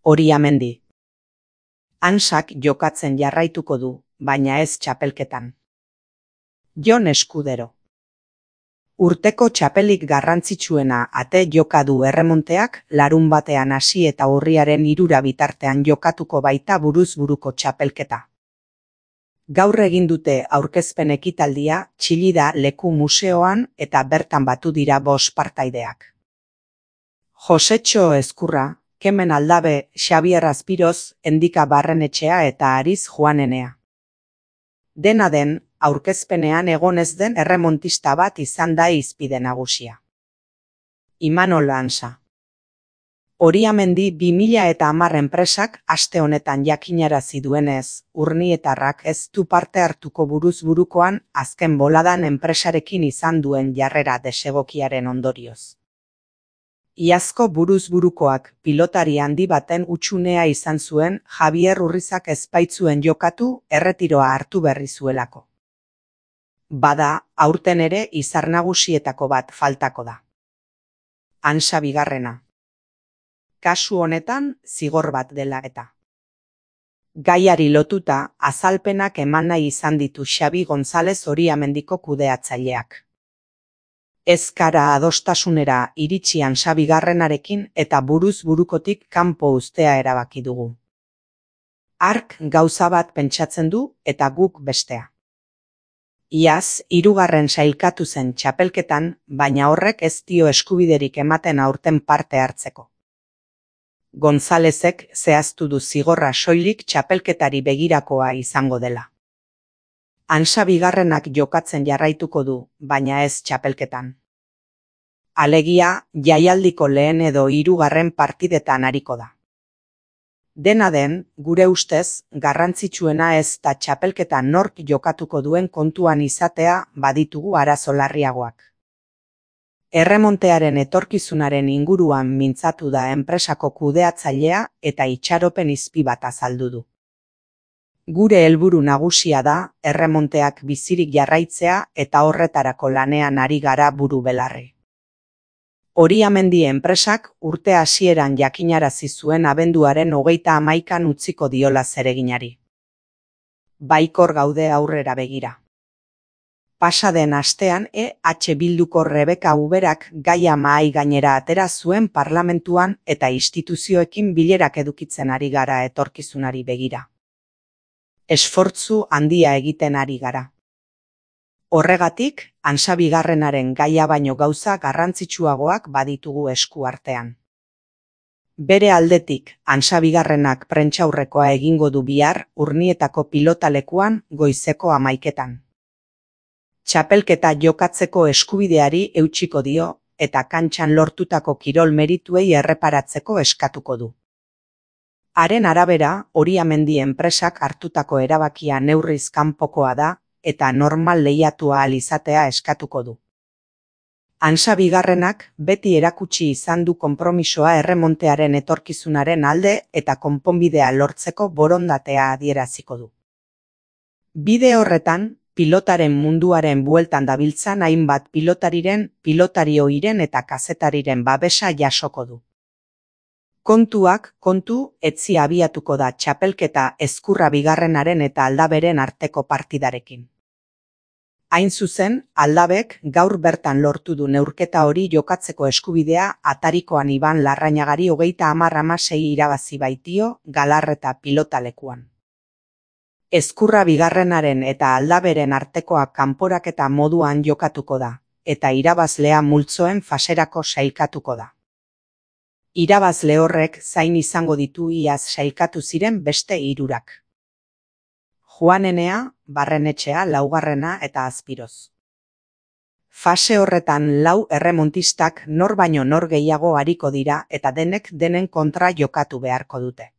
Oriamendi. Hansak jokatzen jarraituko du, baina ez txapelketan. Jon Eskudero. Urteko txapelik garrantzitsuena ate joka du erremonteak, larunbatean hasi eta urriaren 3 bitartean jokatuko baita buruz-buruko txapelketa. Gaur egin dute aurkezpen ekitaldia Txillida Leku Museoan eta bertan batu dira 5 partaideak. Josetxo Ezkurra, Kemen Aldabe, Xabier Azpiroz, Endika Barrenetxea eta Ariz Juanenea. Dena den, aurkezpenean egon ez den erremontista bat izan da hizpide nagusia. Imanol Hansa. Oriamendi 2010 enpresak aste honetan jakinarazi duenez, urnietarrak ez du parte hartuko buruz-burukoan azken boladan enpresarekin izan duen jarrera desegokiaren ondorioz. Iazko buruz-burukoak pilotari handi baten hutsunea izan zuen Javier Urrizak ez baitzuen jokatu erretiroa hartu berri zuelako. Bada, aurten ere izar nagusietako bat faltako da. Hansa bigarrena. Kasu honetan zigor bat dela eta. Gaiari lotuta azalpenak eman nahi izan ditu Xabi González Oriamendiko kudeatzaileak. Ez gara adostasunera iritsi Hansa bigarrenarekin eta buruz-burukotik kanpo uztea erabaki dugu. Hark gauza bat pentsatzen du eta guk bestea. Iaz, 3. sailkatu zen txapelketan, baina horrek ez dio eskubiderik ematen aurten parte hartzeko. Gonzálezek zehaztu du zigorra soilik txapelketari begirakoa izango dela. Hansa bigarrenak jokatzen jarraituko du, baina ez txapelketan. Alegia, jaialdiko lehen edo 3. partidetan ariko da. Dena den, gure ustez, garrantzitsuena ez da txapelketa nork jokatuko duen kontuan izatea baditugu arazo larriagoak. Erremontearen etorkizunaren inguruan mintzatu da enpresako kudeatzailea eta itxaropen izpi bat azaldu du. Gure helburu nagusia da erremonteak bizirik jarraitzea eta horretarako lanean ari gara buru belarri. Oriamendi enpresak urte hasieran jakinarazi zuen abenduaren 31 utziko diola zereginari. Baikor gaude aurrera begira. Pasaden astean Bilduko Rebeka Uberak gaia mahai gainera atera zuen parlamentuan eta instituzioekin bilerak edukitzen ari gara etorkizunari begira. Esfortzu handia egiten ari gara. Horregatik, Hansa bigarrenaren gaia baino gauza garrantzitsuagoak baditugu esku artean. Bere aldetik, Hansa bigarrenak prentsaurrekoa egingo du bihar Urnietako pilotalekuan goizeko 11:00. Txapelketa jokatzeko eskubideari eutsiko dio eta kantxan lortutako kirol merituei erreparatzeko eskatuko du. Haren arabera, Oriamendi enpresak hartutako erabakia neurriz kanpokoa da eta normal lehiatua ahal izatea eskatuko du. Hansa bigarrenak beti erakutsi izan du konpromisoa erremontearen etorkizunaren alde eta konponbidea lortzeko borondatea adieraziko du. Bide horretan, pilotaren munduaren bueltan dabiltzan hainbat pilotari ohiren eta kazetariren babesa jasoko du. Kontuak kontu etzi abiatuko da txapelketa Ezkurra bigarrenaren eta Aldaberen arteko partidarekin. Hain zuzen, Aldabek gaur bertan lortu du neurketa hori jokatzeko eskubidea atarikoan Iban Larrañagari 30-16 irabazi baitio Galarreta pilotalekuan. Ezkurra bigarrenaren eta Aldaberen artekoa kanporaketa moduan jokatuko da, eta irabazlea multzoen faserako sailkatuko da. Irabazle horrek zain izango ditu iaz sailkatu ziren beste 3. Juanenea, Barrenetxea, Laugarrena eta Azpiroz. Fase horretan 4 erremontistak nor baino nor gehiago ariko dira eta denek denen kontra jokatu beharko dute.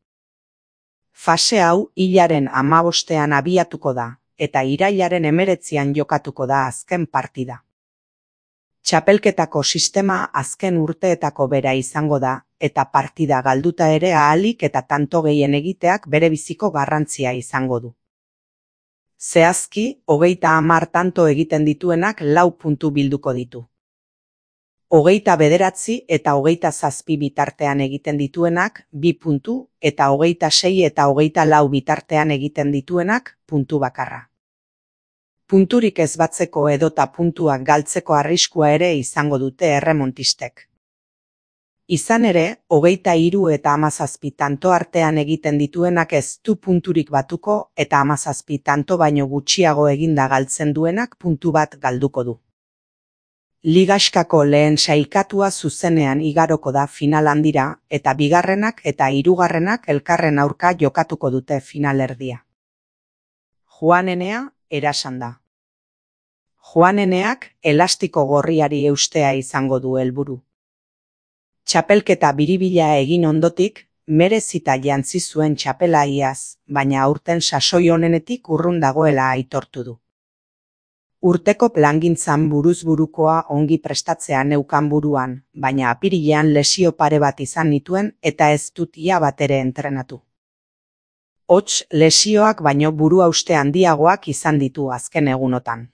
Fase hau hilaren 15ean abiatuko da, eta irailaren 19ean jokatuko da azken partida. Txapelketako sistema azken urteetako bera izango da, eta partida galduta ere ahalik eta tanto gehien egiteak bere biziko garrantzia izango du. Zehazki, 30 tanto egiten dituenak 4 puntu bilduko ditu. 29 eta 27 bitartean egiten dituenak 2 puntu eta 26 eta 24 bitartean egiten dituenak puntu bakarra. Punturik ez batzeko edota puntuak galtzeko arriskua ere izango dute erremontistek. Izan ere, 23 eta 17 tanto artean egiten dituenak ez du punturik batuko eta 17 tanto baino gutxiago eginda galtzen duenak puntu bat galduko du. Ligaxkako lehen sailkatua zuzenean igaroko da final handira eta bigarrenak eta hirugarrenak elkarren aurka jokatuko dute finalerdia. Juanenea erasan da. Juaneneak elastiko gorriari eustea izango du helburu. Txapelketa biribila egin ondotik, merezita jantzi zuen txapela iaz, baina aurten sasoi honenetik urrun dagoela aitortu du. Urteko plangintzan buruz-burukoa ongi prestatzea neukan buruan, baina apirilean lesio pare bat izan nituen eta ez dut ia bat ere entrenatu. Hots, lesioak baino buruhauste handiagoak izan ditu azken egunotan.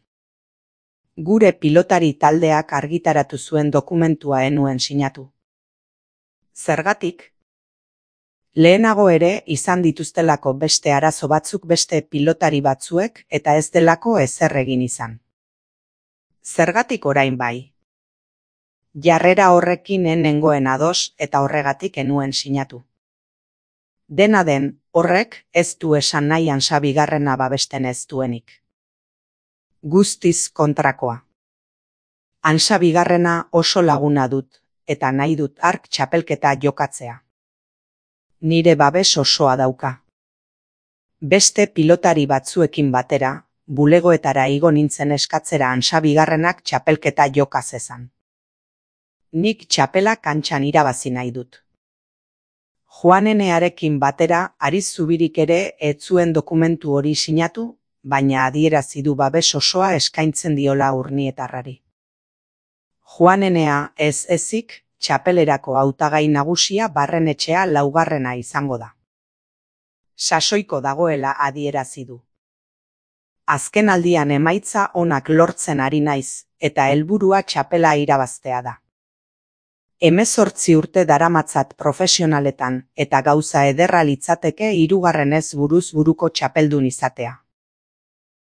Gure pilotari taldeak argitaratu zuen dokumentua enuen sinatu. Zergatik? Lehenago ere izan dituztelako beste arazo batzuk beste pilotari batzuek eta ez delako ezer egin izan. Zergatik orain bai? Jarrera horrekin nengoen ados eta horregatik enuen sinatu. Dena den, horrek ez du esan nahi Hansa bigarrena babesten ez duenik. Guztiz kontrakoa. Hansa bigarrena oso laguna dut eta nahi dut hark txapelketa jokatzea. Nire babes osoa dauka. Beste pilotari batzuekin batera, bulegoetara igo nintzen eskatzera Hansa bigarrenak txapelketa joka zezan. Nik txapela kantxan irabazi nahi dut. Juanenearekin batera Ariz Zubirik ere ez zuen dokumentu hori sinatu, baina adierazi du babes osoa eskaintzen diola urnietarrari. Juanenea ez ezik, txapelerako hautagai nagusia Barrenetxea laugarrena izango da. Sasoiko dagoela adierazi du. Azken aldian emaitza onak lortzen ari naiz, eta helburua txapela irabaztea da. 18 urte daramatzat profesionaletan eta gauza ederra litzateke hirugarrenez buruz buruko txapeldun izatea.